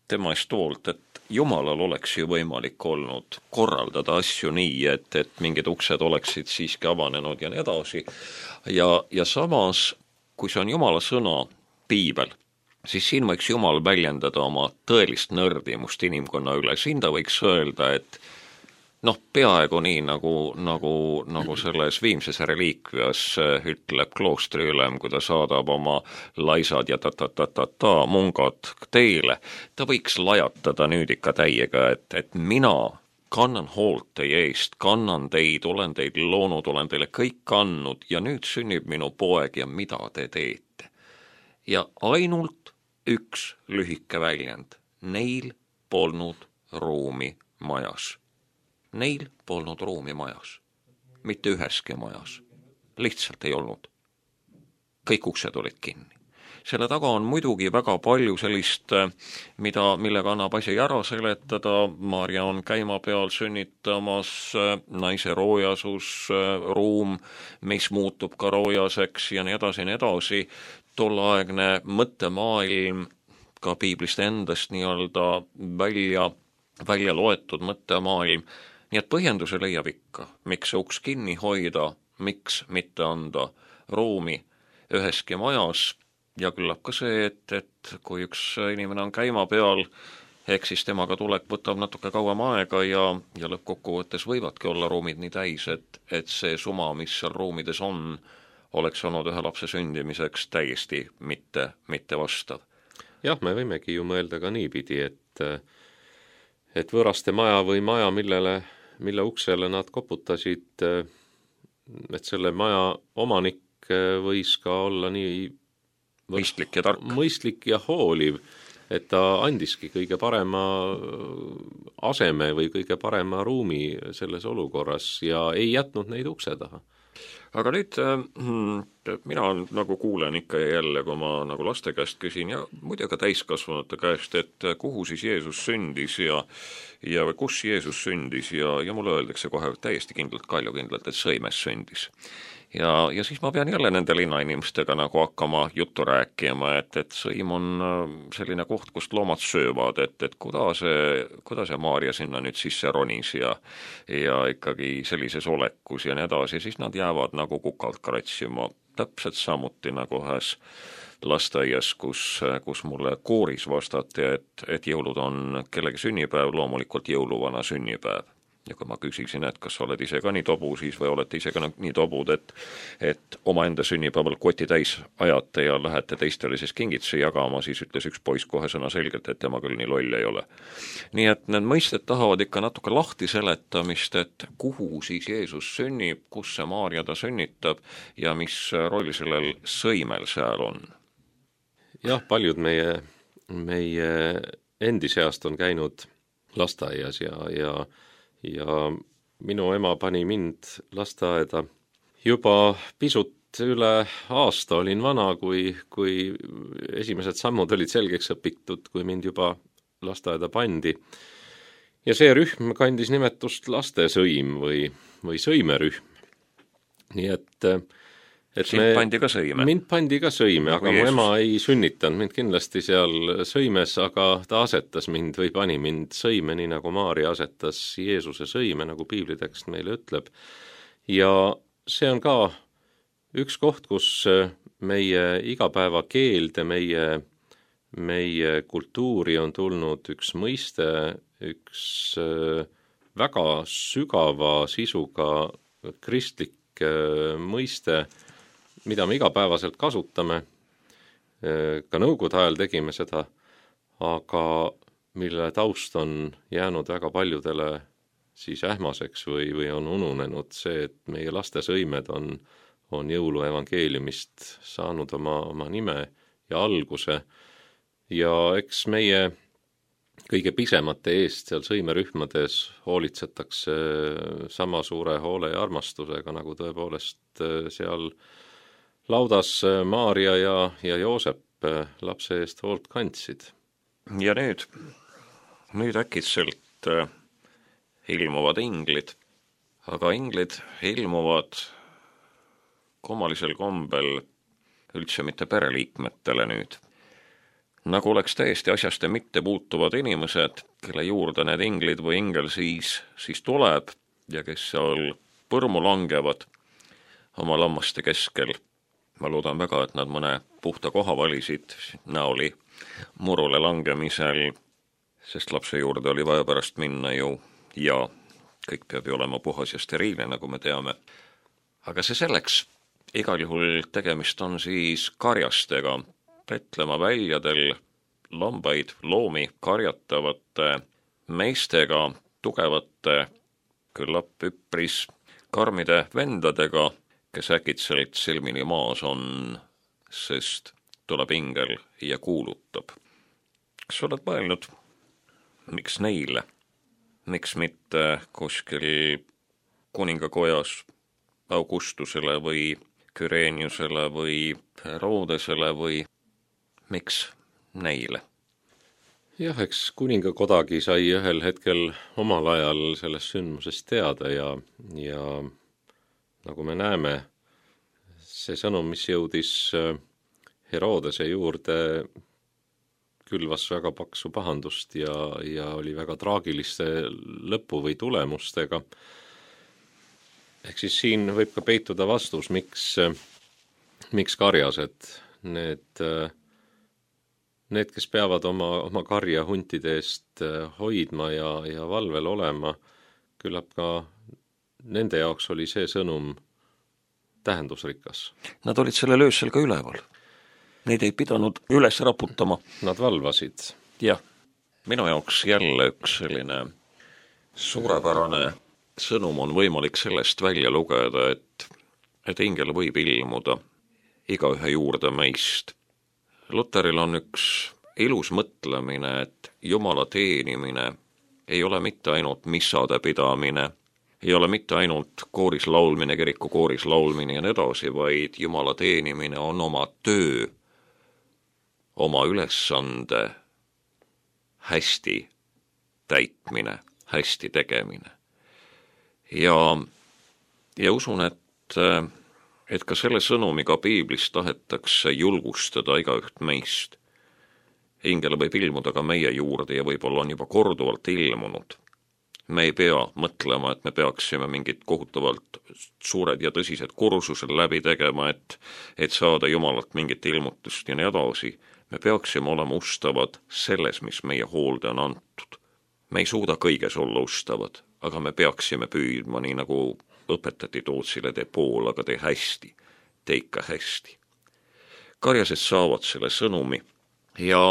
tema eest hoolt, et Jumalal oleks ju võimalik olnud korraldada asju nii, et, et mingid uksed oleksid siiski avanenud ja nii edasi. Ja, ja samas, kui see on Jumala sõna, piibel, siis siin võiks Jumal väljendada oma tõelist nördimust inimkonna üle. Siin ta võiks öelda, et noh, peaaegu nii, nagu, nagu, nagu selles Viimses reliikvias ütleb kloostriülem, kui ta saadab oma laisad ja ta-ta-ta-ta-ta mungad teele. Ta võiks lajatada nüüd ikka täiega, et, et mina kannan hoolt teie eest, kannan teid, olen teid loonud, olen teile kõik andnud ja nüüd sünnib minu poeg ja mida te teete. Ja ainult üks lühike väljend. Neil polnud ruumi majas. Neil polnud ruumi majas. Mitte üheski majas. Lihtsalt ei olnud. Kõik uksed olid kinni. Selle taga on muidugi väga palju sellist, mida, millega annab asi ära seletada. Maarja on käima peal sünnitamas, naise roojasus, ruum, mis muutub ka roojaseks ja nii edasi, nii edasi. Tolleaegne mõttemaailm ka piiblist endast nii-öelda välja, välja loetud mõttemaailm. Nii et põhjenduse leiab ikka, miks see uks kinni hoida, miks mitte anda ruumi üheski majas. Ja küllap ka see, et, et kui üks inimene on käima peal, ehk siis temaga tulek võtab natuke kauem aega ja, ja lõppkokkuvõttes võivadki olla ruumid nii täis, et, et see suma, mis seal ruumides on, oleks olnud ühe lapse sündimiseks täiesti mitte, mitte vastav. Jah, me võimegi ju mõelda ka niipidi, et, et võõraste maja või maja, millele, mille uksele nad koputasid, et selle maja omanik võis ka olla nii mõistlik ja tark. Mõistlik ja hooliv, et ta andiski kõige parema aseme või kõige parema ruumi selles olukorras ja ei jätnud neid ukse taha. Aga nüüd mina nagu kuulen ikka ja jälle, kui ma nagu laste käest küsin ja muidu ka täiskasvanute käest, et kuhu siis Jeesus sündis ja, ja kus Jeesus sündis ja, ja mulle öeldakse kohe täiesti kindlalt, kaljukindlalt, et Sõimes sündis. Ja, ja siis ma pean jälle nende linnainimestega nagu hakkama juttu rääkima, et, et Sõim on selline koht, kust loomad söövad, et, et kuidas see, kuidas see Maarja sinna nüüd sisse ronis ja, ja ikkagi sellises olekus ja nii edasi, siis nad jäävad nagu kukalt kratsima täpselt samuti nagu ühes lasteaias, kus, kus mulle kooris vastati, et, et jõulud on kellegi sünnipäev, loomulikult jõuluvana sünnipäev. Ja kui ma küsisin, et kas oled ise ka nii tobu, siis või olete ise ka nii tobud, et, et omaenda sünnipäeval koti täis ajate ja lähete teistele siis kingitusi jagama, siis ütles üks poiss kohe sõna selgelt, et tema küll nii loll ei ole. Nii et need mõisted tahavad ikka natuke lahti seletamist, et kuhu siis Jeesus sünnib, kus see Maarja ta sünnitab ja mis roll sellel sõimel seal on. Jah, paljud meie, meie endi seast on käinud lasteaias ja, ja ja minu ema pani mind lasteaeda juba pisut üle aasta olin vana, kui, kui esimesed sammud olid selgeks õpitud, kui mind juba lasteaeda pandi. Ja see rühm kandis nimetust lastesõim või, või sõimerühm. Nii et et Sind me, pandi ka sõime? Mind pandi ka sõime, aga mu ema ei sünnitanud mind kindlasti seal sõimes, aga ta asetas mind või pani mind sõime, nii nagu Maarja asetas Jeesuse sõime, nagu piiblitekst meile ütleb. Ja see on ka üks koht, kus meie igapäevakeelde, meie, meie kultuuri on tulnud üks mõiste, üks väga sügava sisuga kristlik mõiste, mida me igapäevaselt kasutame, ka nõukogude ajal tegime seda, aga mille taust on jäänud väga paljudele siis ähmaseks või, või on ununenud see, et meie laste sõimed on, on jõuluevangeeliumist saanud oma, oma nime ja alguse. Ja eks meie kõige pisemate eest seal sõimerühmades hoolitsetakse sama suure hoole ja armastusega, nagu tõepoolest seal laudas Maarja ja, ja Joosep lapse eest hoolt kandsid. Ja nüüd, nüüd äkitselt äh, ilmuvad inglid, aga inglid ilmuvad kummalisel kombel üldse mitte pereliikmetele nüüd. Nagu oleks täiesti asjaste mitte puutuvad inimesed, kelle juurde need inglid või ingel siis, siis tuleb ja kes seal põrmu langevad oma lammaste keskel. Ma loodan väga, et nad mõne puhta koha valisid näoli murule langemisel, sest lapse juurde oli vaja pärast minna ju ja kõik peab ju olema puhas ja steriilne, nagu me teame. Aga see selleks, igal juhul tegemist on siis karjastega, Betlema väljadel lambaid, loomi karjatavate meestega, tugevate, küllap üpris karmide vendadega, kes äkitselt silmini maas on, sest tuleb ingel ja kuulutab. Kas oled mõelnud, miks neile? Miks mitte kuskil kuningakojas Augustusele või Küreeniusele või Herodesele või miks neile? Jah, eks kuningakodagi sai ühel hetkel omal ajal sellest sündmusest teada ja, ja nagu me näeme, see sõnum, mis jõudis Herodese juurde, külvas väga paksu pahandust ja, ja oli väga traagiliste lõpu või tulemustega. Ehk siis siin võib ka peituda vastus, miks, miks karjased, need, need, kes peavad oma, oma karja huntide eest hoidma ja, ja valvel olema, küllap ka nende jaoks oli see sõnum tähendusrikas. Nad olid sellel öösel ka üleval. Neid ei pidanud üles raputama. Nad valvasid. Jah, minu jaoks jälle üks selline suurepärane sõnum on võimalik sellest välja lugeda, et, et ingel võib ilmuda igaühe juurde meist. Luteril on üks ilus mõtlemine, et Jumala teenimine ei ole mitte ainult missade pidamine, ei ole mitte ainult kooris laulmine, kiriku kooris laulmine ja nii edasi, vaid Jumala teenimine on oma töö, oma ülesande hästi täitmine, hästi tegemine. Ja, ja usun, et, et ka selle sõnumiga piiblis tahetakse julgustada igaüht meist. Ingel võib ilmuda ka meie juurde ja võib-olla on juba korduvalt ilmunud. me ei pea mõtlema, et me peaksime mingid kohutavalt suured ja tõsised kursused läbi tegema, et, et saada Jumalalt mingit ilmutust ja nii edasi. Me peaksime olema ustavad selles, mis meie hoolde on antud. Me ei suuda kõiges olla ustavad, aga me peaksime püüdma, nii nagu õpetati Tootsile, tee pool, aga tee hästi, tee ikka hästi. Karjased saavad selle sõnumi ja,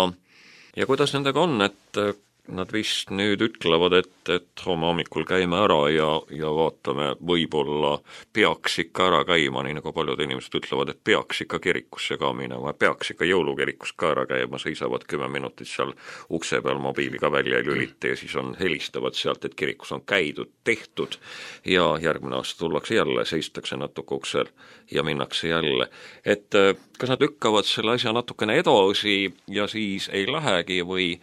ja kuidas nendega on, et nad vist nüüd ütlevad, et, et homme hommikul käime ära ja, ja vaatame, võib-olla peaks ikka ära käima, nii nagu paljud inimesed ütlevad, et peaks ikka kirikusse ka minema, peaks ikka jõulukirikus ka ära käima, seisavad kümme minutit seal ukse peal mobiiliga välja ei lülita ja siis on helistavad sealt, et kirikus on käidud, tehtud ja järgmine aasta tullakse jälle, seistakse natuke uksel ja minnakse jälle. Et kas nad lükkavad selle asja natukene edasi ja siis ei lähegi või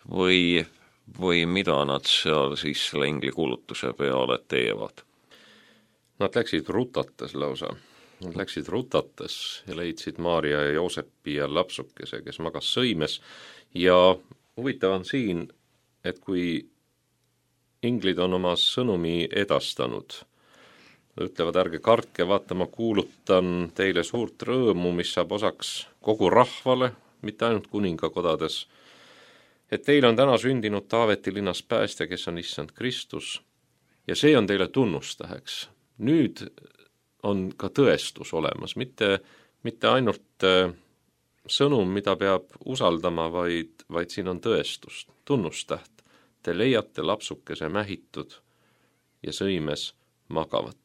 või, või mida nad seal siis selle ingli kuulutuse peale teevad? Nad läksid rutates lausa. Nad läksid rutates ja leidsid Maarja ja Joosepi ja lapsukese, kes magas sõimes. Ja huvitav on siin, et kui inglid on oma sõnumi edastanud, ütlevad, ärge kartke, vaata, ma kuulutan teile suurt rõõmu, mis saab osaks kogu rahvale, mitte ainult kuningakodades, et teil on täna sündinud Taaveti linnas päästja, kes on issand Kristus, ja see on teile tunnustäheks. Nüüd on ka tõestus olemas, mitte, mitte ainult sõnum, mida peab usaldama, vaid, vaid siin on tõestust, tunnustäht. Te leiate lapsukese mähitud ja sõimes magavat.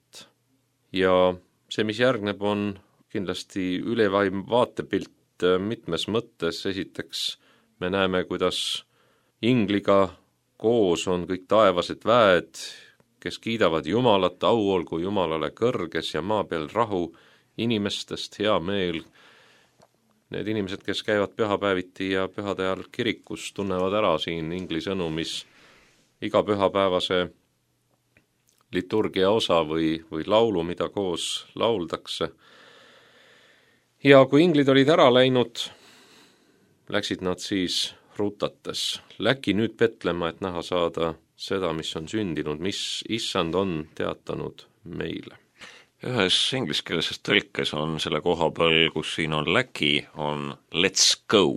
Ja see, mis järgneb, on kindlasti ülevaim vaatepilt mitmes mõttes. Esiteks me näeme, kuidas ingliga koos on kõik taevased väed, kes kiidavad Jumalat, au olgu Jumalale kõrges ja maa peal rahu, inimestest hea meel. Need inimesed, kes käivad pühapäeviti ja pühade ajal kirikus, tunnevad ära siin ingli sõnumis iga pühapäevase liturgia osa või, või laulu, mida koos lauldakse. Ja kui inglid olid ära läinud, läksid nad siis rutates. Läki nüüd Betlema, et näha saada seda, mis on sündinud, mis issand on teatanud meile. Ühes ingliskeelses tõlkes on selle koha peal, kus siin on läki, on let's go.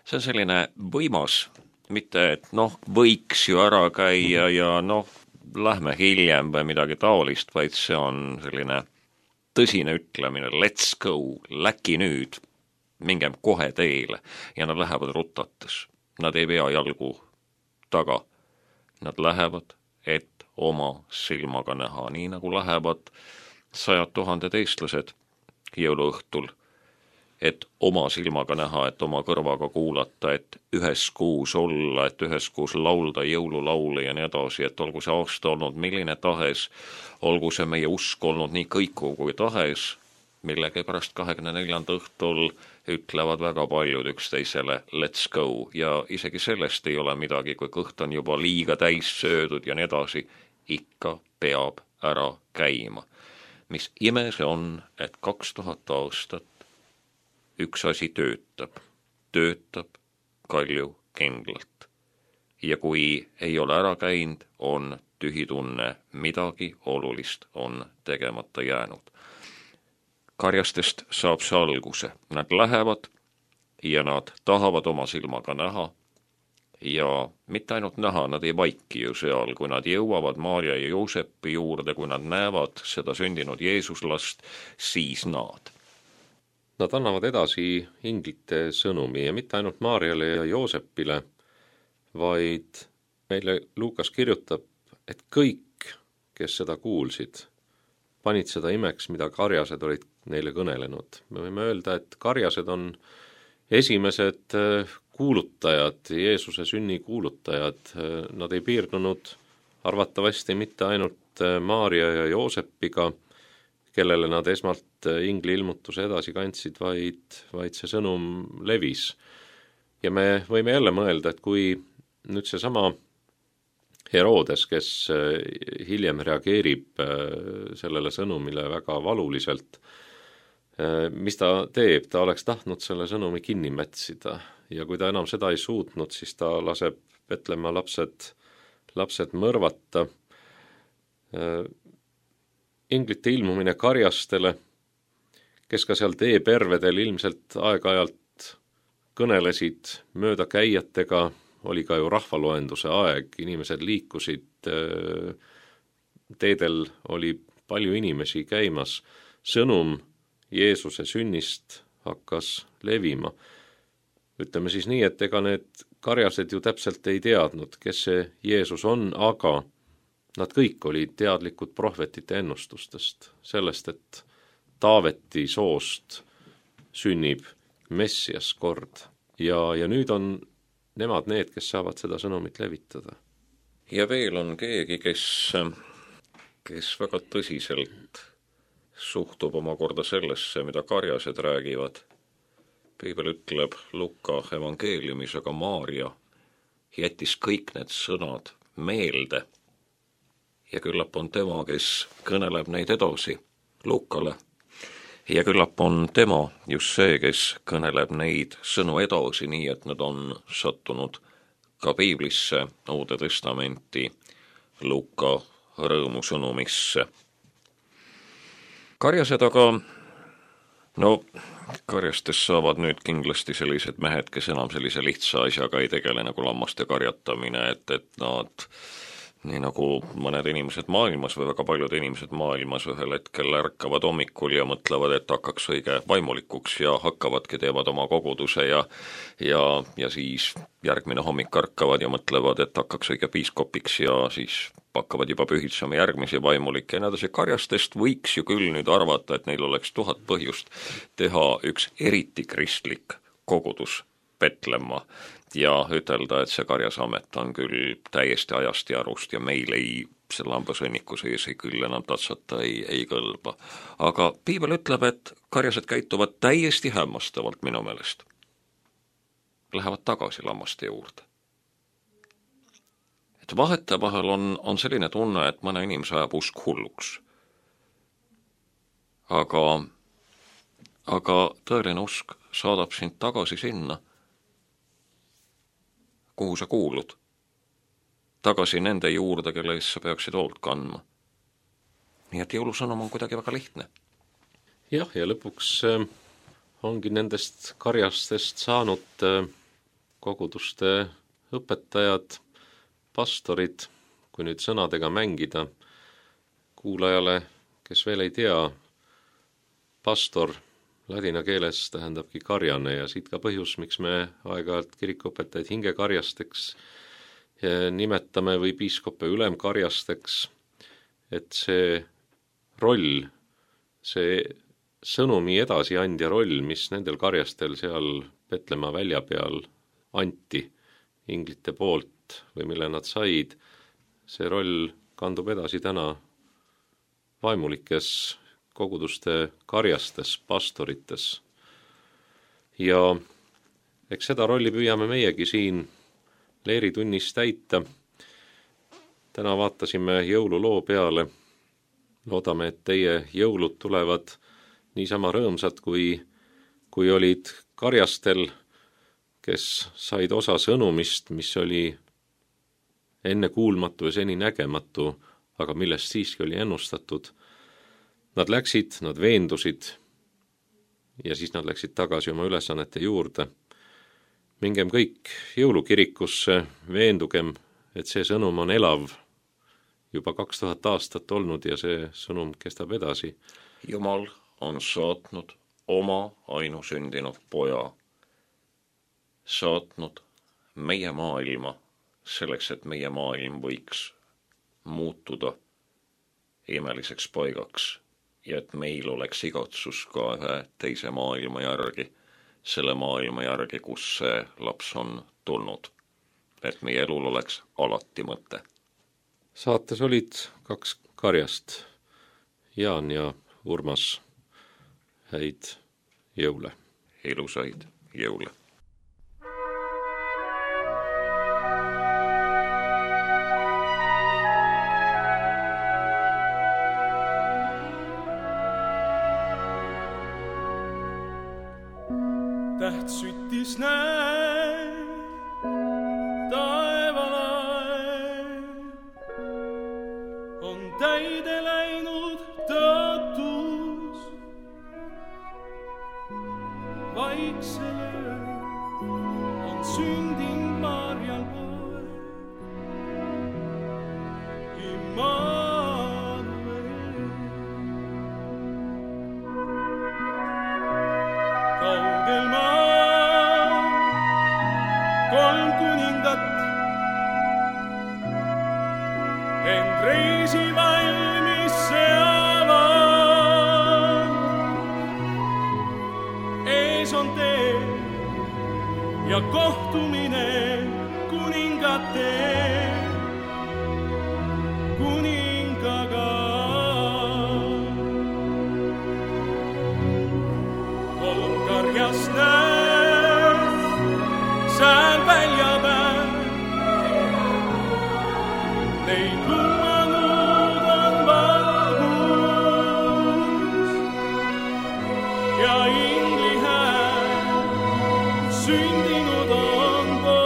See on selline võimas, mitte et noh, võiks ju ära käia ja noh, lähme hiljem või midagi taolist, vaid see on selline tõsine ütlemine, let's go, läki nüüd, mingem kohe teele ja nad lähevad rutates. Nad ei vea jalgu taga. Nad lähevad, et oma silmaga näha, nii nagu lähevad sajad tuhanded eestlased jõuluõhtul, et oma silmaga näha, et oma kõrvaga kuulata, et üheskuus olla, et üheskuus laulda jõululaule ja nii edasi, et olgu see aasta olnud milline tahes, olgu see meie usk olnud nii kõikuv kui tahes, millegi pärast kahekümne neljanda õhtul ütlevad väga paljud üksteisele let's go ja isegi sellest ei ole midagi, kui kõht on juba liiga täis söödud ja nii edasi, ikka peab ära käima. Mis ime see on, et kaks tuhat aastat üks asi töötab, töötab kalju kindlalt. Ja kui ei ole ära käinud, on tühi tunne, midagi olulist on tegemata jäänud. Karjastest saab see alguse. Nad lähevad ja nad tahavad oma silmaga näha ja mitte ainult näha, nad ei vaiki ju seal, kui nad jõuavad Maarja ja Joosepi juurde, kui nad näevad seda sündinud Jeesuslast, siis nad. Nad annavad edasi inglite sõnumi ja mitte ainult Maarjale ja Joosepile, vaid meile Luukas kirjutab, et kõik, kes seda kuulsid, panid seda imeks, mida karjased olid neile kõnelenud. Me võime öelda, et karjased on esimesed kuulutajad, Jeesuse sünni kuulutajad. Nad ei piirdunud arvatavasti mitte ainult Maarja ja Joosepiga, kellele nad esmalt ingli ilmutuse edasi kandsid, vaid, vaid see sõnum levis. Ja me võime jälle mõelda, et kui nüüd see sama Herodes, kes hiljem reageerib sellele sõnumile väga valuliselt, mis ta teeb, ta oleks tahtnud selle sõnumi kinni mätsida ja kui ta enam seda ei suutnud, siis ta laseb Betlemaa lapsed lapsed mõrvata. Inglite ilmumine karjastele, kes ka seal teepervedel ilmselt aeg-ajalt kõnelesid mööda käijatega, oli ka ju rahvaloenduse aeg, inimesed liikusid, teedel oli palju inimesi käimas, sõnum Jeesuse sünnist hakkas levima. Ütleme siis nii, et ega need karjased ju täpselt ei teadnud, kes see Jeesus on, aga nad kõik olid teadlikud prohvetite ennustustest, sellest, et Taaveti soost sünnib Messias kord ja, ja nüüd on nemad need, kes saavad seda sõnumit levitada. Ja veel on keegi, kes, kes väga tõsiselt suhtub omakorda sellesse, mida karjased räägivad. Piibel ütleb Luka evangeeliumis, aga Maaria jättis kõik need sõnad meelde ja küllap on tema, kes kõneleb neid edasi Lukale. Ja küllap on tema just see, kes kõneleb neid sõnu edasi, nii et nad on sattunud ka Piiblisse, Uude Testamenti, Luka rõõmusõnumisse. Karjased aga, no karjastest saavad nüüd kindlasti sellised mehed, kes enam sellise lihtsa asjaga ei tegele nagu lammaste karjatamine, et, et nad nii nagu mõned inimesed maailmas või väga paljud inimesed maailmas ühel hetkel ärkavad hommikul ja mõtlevad, et hakkaks õige vaimulikuks ja hakkavadki, teevad oma koguduse ja, ja, ja siis järgmine hommik ärkavad ja mõtlevad, et hakkaks õige piiskopiks ja siis hakkavad juba pühitsema järgmisi vaimulikke ja nädasi karjastest võiks ju küll nüüd arvata, et neil oleks tuhat põhjust teha üks eriti kristlik kogudus Petlemma ja ütelda, et see karjasamet on küll täiesti ajast ja arust ja meil ei, selle hambasõnniku sees ei küll enam tatsata ei, ei kõlba. Aga Piibel ütleb, et karjased käituvad täiesti hämmastavalt minu meelest. Lähevad tagasi lammaste juurde. Et vahetevahel on, on selline tunne, et mõne inimese ajab usk hulluks. Aga, aga tõeline usk saadab sind tagasi sinna, kuhu sa kuulud, tagasi nende juurde, kelle eest sa peaksid hoolt kandma. Nii et jõulusõnum on kuidagi väga lihtne. Jah, ja lõpuks äh, ongi nendest karjastest saanud äh, koguduste õpetajad, pastorid, kui nüüd sõnadega mängida. Kuulajale, kes veel ei tea, pastor ladina keeles tähendabki karjane ja siit ka põhjus, miks me aeg-ajalt kirikuõpetajaid hingekarjasteks nimetame või piiskoppe ülemkarjasteks, et see roll, see sõnumi edasiandja roll, mis nendel karjastel seal Petlemma välja peal anti inglite poolt või mille nad said, see roll kandub edasi täna vaimulikes koguduste karjastes, pastorites. Ja eks seda rolli püüame meiegi siin leeritunnis täita. Täna vaatasime jõululoo peale. Loodame, et teie jõulud tulevad niisama rõõmsad, kui, kui olid karjastel, kes said osa sõnumist, mis oli ennekuulmatu ja seni nägematu, aga millest siiski oli ennustatud. Nad läksid, nad veendusid ja siis nad läksid tagasi oma ülesannete juurde. Mingem kõik jõulukirikusse, veendugem, et see sõnum on elav juba kaks tuhat aastat olnud ja see sõnum kestab edasi. Jumal on saatnud oma ainusündinud poja, saatnud meie maailma selleks, et meie maailm võiks muutuda imeliseks paigaks ja et meil oleks igatsus ka ühe teise maailma järgi, selle maailma järgi, kus see laps on tulnud, et meie elul oleks alati mõte. Saates olid kaks karjast, Jaan ja Urmas. Häid jõule. Ilusaid jõule. Täht süttis näin taevalae, sündinud Maarjal poeg, Immanuel. Kaugel maa kolm kuningat end reisi valmis seavad. Ees on tee ja kohtumine kuningate kuningaga. Kolm karjast näed sääl välja päev, neid lumanud on valgus ja ingli hääl sündinud on poeg,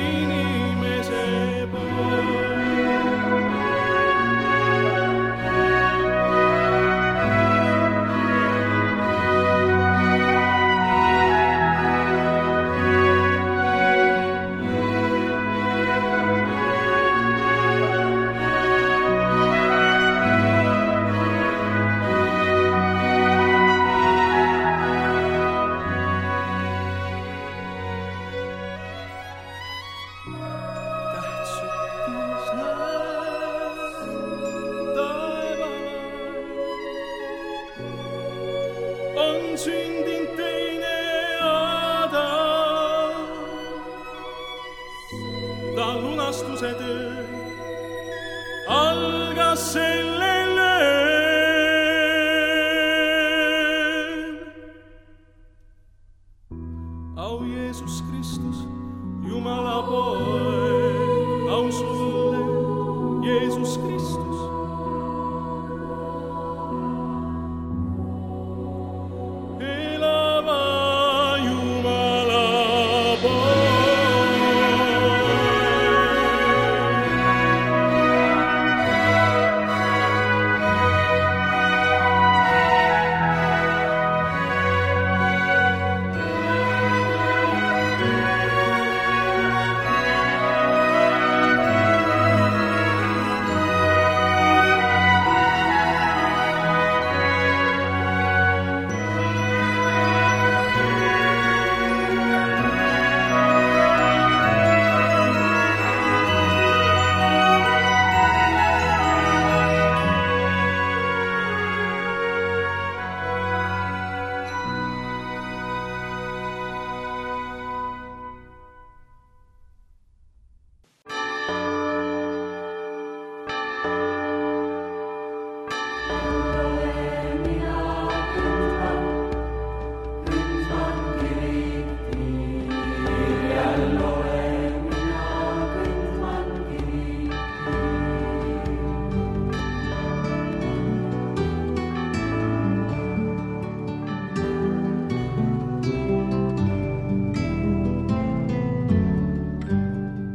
inimese poeg. On sündinud teine Adam, ta lunastuse töö algas sellel ööl. Au Jeesus Kristus, Jumala poeg, au sulle, Jeesus Kristus.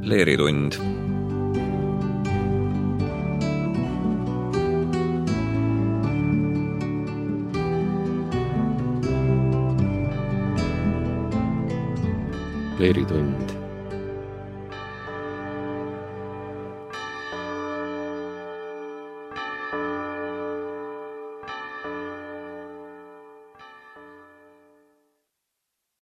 Leeritund. Leeritund